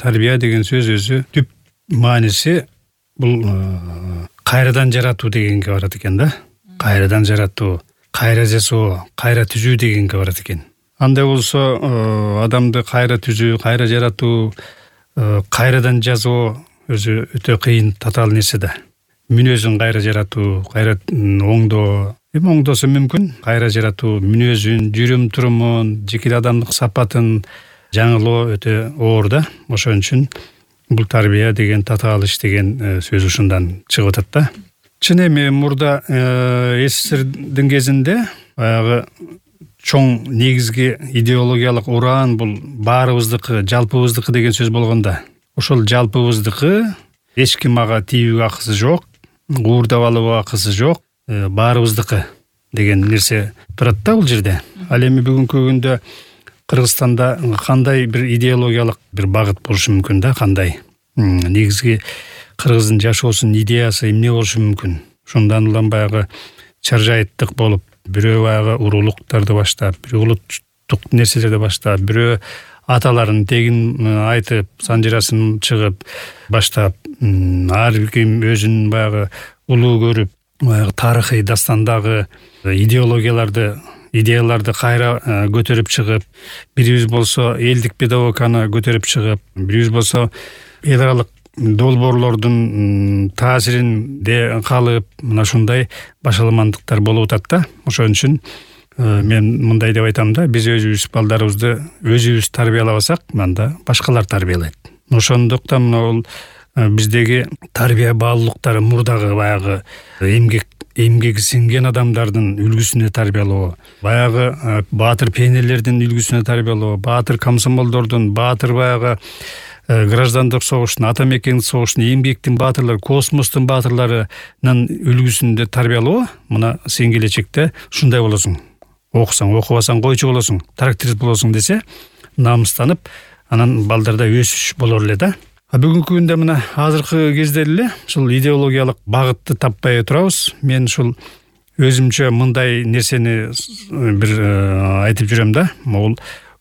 тарбия деген сөз өзү түп мааниси бул кайрадан жаратуу дегенге барат экен да. Кайрадан жаратуу, кайра жасоо, кайра түзүү дегенге барат экен. Андай болсо адамды кайра түзүү, кайра жаратуу, кайрадан жазуу өзү өтө кыйын, татаал нерсе да. Мүнөзүн кайра жаратуу, кайра оңдоо, оңдосо мүмкүн. Кайра жаратуу мүнөзүн, жүрүм турумун, жеке адамдык сапатын жаңылоо өтө оор да. Ошон үчүн бул тарбия деген татаал иш деген сөз ушундан чыгып атат да. Чын эми мурда СССРдин кезинде баягы чоң негизги идеологиялык ураан бул баарыбыздыкы, жалпыбыздыкы деген сөз болгондо. Ошол жалпыбыздыкы, эч ким ага тийүүгө акысы жок, уурдап алууга акысы жок, баарыбыздыкы деген нерсе турат да бул жерде. Ал эми бүгүнкү күндө Кыргызстанда кандай бир идеологиялык бир багыт болушу мүмкүн да, кандай? Негизги кыргыздын жашоосунун идеясы эмне болушу мүмкүн? Ошондон улам баягы чаржайыттык болуп, бирөө баягы урулуктарды баштап, бирөө улуттук нерселерди баштап, бирөө аталарын тегин айтып, санжырасын чыгып баштап, ар ким өзүн баягы улуу көрүп, баягы тарыхый дастандагы идеяларды кайра көтөрүп чыгып, бирибиз болсо элдик педагогиканы көтөрүп чыгып, бирибиз болсо эл аралык долбоорлордун таасиринде калып, мына ушундай башаламандыктар болуп атат да. Ошон үчүн мен мындай деп айтам да, биз өзүбүз балдарыбызды өзүбүз тарбиялабасак, анда башкалар тарбиялайт. Ошондуктан бул биздеги тарбия баалуулуктары мурдагы баягы эмгеги сиңген адамдардын үлгүсүнө тарбиялоо, баягы баатыр пенелердин үлгүсүнө тарбиялоо, баатыр комсомолдордун, баатыр баягы граждандык согуштун, ата мекендик согуштун, эмгектин баатырлары, космостун баатырларынын үлгүсүндө тарбиялоо, мына сен келечекте ушундай болосуң. Окусаң, окубасаң койчу болосуң, тракторист болосуң десе, намыстанып, анан балдарда өсүш болор эле да. Бүгүнкү күндө мына азыркы кезде эле ушул идеологиялык багытты таппай турабыз. Мен ушул өзүмчө мындай нерсени бир айтып жүрөм да. Бул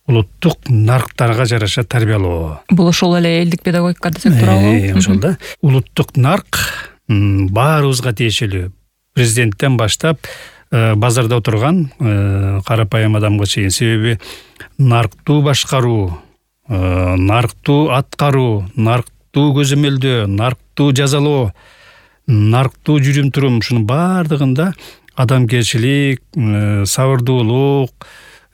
улуттук нарктарга жараша тарбиялоо. Бул ошол эле элдик педагогика десек туурабы? Ошол да. Улуттук нарк баарыбызга тиешелүү. Президенттен баштап базарда отурган карапайым адамга чейин. Себеби нарктуу башкаруу, нарктуу аткаруу, нарктуу көзөмөлдөө, нарктуу жазалоо, нарктуу жүрүм турум, ушунун баардыгында адамгерчилик, сабырдуулук,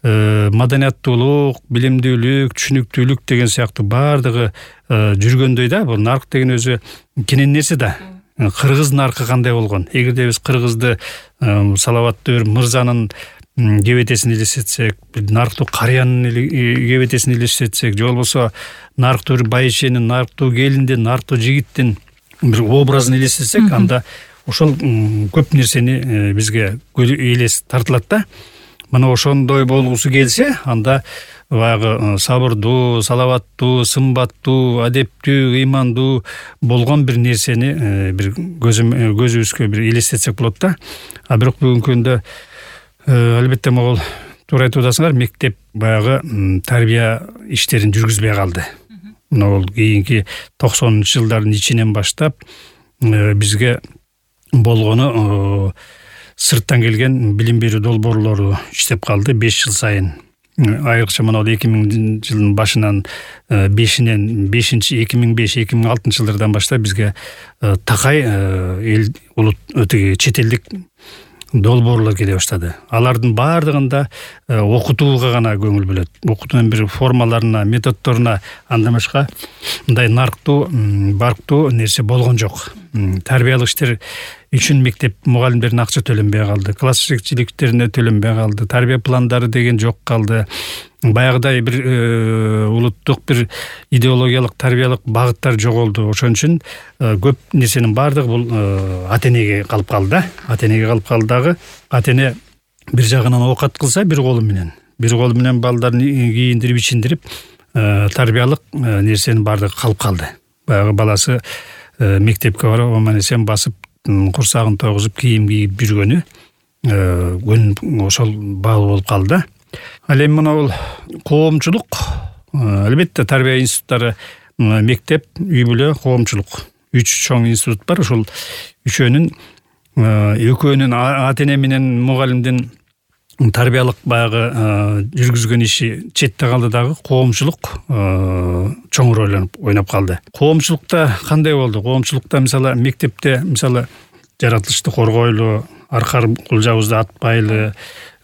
маданияттуулук, билимдүүлүк, түшүнүктүүлүк деген сыяктуу баардыгы жүргөндөй да. Бул нарк деген өзү кенен нерсе да. Кыргыз наркы кандай болгон? Эгерде биз кыргызды салаваттуу бир мырзанын кебетесин элестетсек, нарктуу карыянын кебетесин элестетсек, же болбосо нарктуу бир байшенин, нарктуу келиндин, нарктуу жигиттин бир образын элестетсек, анда ошол көп нерсени бизге элес тартылат да. Мына ошондой болгусу келсе, анда баягы сабырдуу, салаваттуу, сымбаттуу, адептүү, ыймандуу болгон бир нерсени бир көзүбүзгө бир элестетсек болот да. А бирок бүгүнкү күндө албетте могул туура айтып атасыңар, мектеп баягы тарбия иштерин жүргүзбөй калды. Мына бул кийинки 90-жылдардын ичинен баштап бизге болгону сырттан келген билим берүү долбоорлору иштеп калды 5 жыл сайын. Айрыкча мына 2000 жылдын башынан 2005-2006 жылдардан баштап бизге такай эл улут чет элдик долбоорлор келе баштады. Алардын баардыгында окутууга гана көңүл бөлөт. Окутуунун бир формаларына, методдоруна, андан башка мындай нарктуу, барктуу нерсе болгон жок. Тарбиялык иштер үчүн мектеп мугалимдердин акча төлөнбөй калды, класс жетекчиликтерине төлөнбөй калды, тарбия пландары деген жок калды. Баягыдай бир улуттук бир идеологиялык тарбиялык багыттар жоголду. Ошон үчүн көп нерсенин баардыгы бул ата-энеге калып калды да. Ата-энеге калып калды дагы. Ата-эне бир жагынан оокат кылса, бир колу менен балдарын кийиндирип, ичиндирип, тарбиялык нерсенин баардыгы калып калды. Баягы баласы мектепке барып, аман-эсен басып, курсагын тойгузуп, кийим кийип жүргөнү ошол баал болуп калды да. Ал эми мына бул коомчулук, албетте тарбия институттары мектеп, үй бүлө, коомчулук 3 чоң институт бар. Ошол үчөөнүн экөөнүн ата эне менен мугалимдин тарбиялык баягы жүргүзгөн иши четте калды дагы коомчулук чоң роль ойноп калды. Коомчулукта кандай болду? Коомчулукта мисалы мектепте мисалы жаратылышты коргойлу, аркар кулжабызды атпайлы,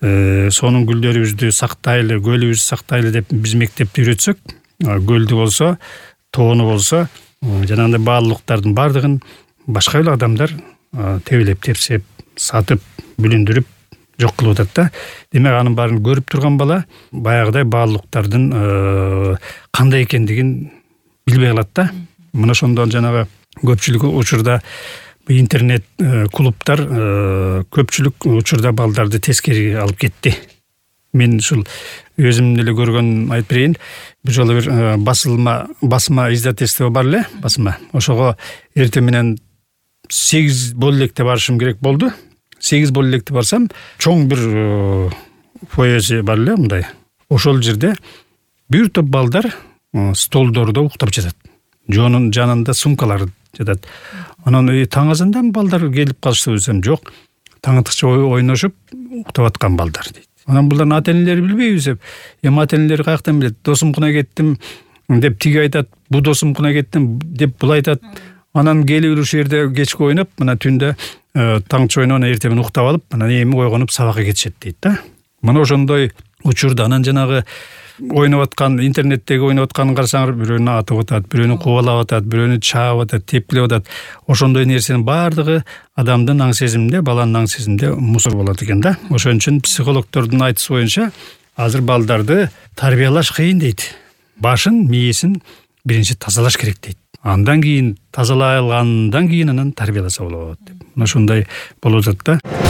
сонун гүлдөрүбүздү сактайлы, көлүбүздү сактайлы деп биз мектепти үйрөтсөк, көлдү болсо, тоону болсо, жанагындай баалуулуктардын баардыгын башка эле адамдар тебелеп, тепсеп, сатып, бүлүндүрүп жок кылып атат да. Демек анын баарын көрүп турган бала баягыдай баалуулуктардын кандай экендигин билбей калат да. Мына ошондон жанагы көпчүлүк учурда интернет клубтар көпчүлүк учурда балдарды тескери алып кетти. Мен ушул өзүм эле көргөн айтып берейин. Бир жолу бир басма издательство бар эле, басма. Ошого эртең менен 8 боло электе барышым керек болду. 8 боло электе барсам, чоң бир фойеси бар эле мындай. Ошол жерде бир топ балдар столдордо уктап жатат. Жонун жанында сумкалар жатат. Анан таң азандан балдар келип калышты десем, жок. Таңатыкча ойношуп уктап аткан балдар дейт. Анан булардын ата энелери билбейбиз деп. Ата энелери каяктан билет? Досумкуна кеттим деп тиги айтат, бу досумкуна кеттим деп бул айтат. Анан келип ушул жерде кечке ойноп, мына түндө таңчы ойноп, эртең менен уктап алып, анан эми ойгонуп сабакка кетишет дейт да. Мына ошондой учурда анан жанагы ойноп аткан, интернеттеги ойноп атканын карасаңар, бирөөнү атып атат, бирөөнү кубалап атат, бирөөнү чаап атат, тепкилеп атат. Ошондой нерсенин баардыгы адамдын аң сезиминде, баланын аң сезиминде мусор болот экен да. Ошон үчүн психологдордун айтышы боюнча азыр балдарды тарбиялаш кыйын дейт. Башын, мээсин биринчи тазалаш керек дейт. Андан кийин тазалай алгандан кийин анан тарбияласа болот деп. Мына ушундай болуп атат да.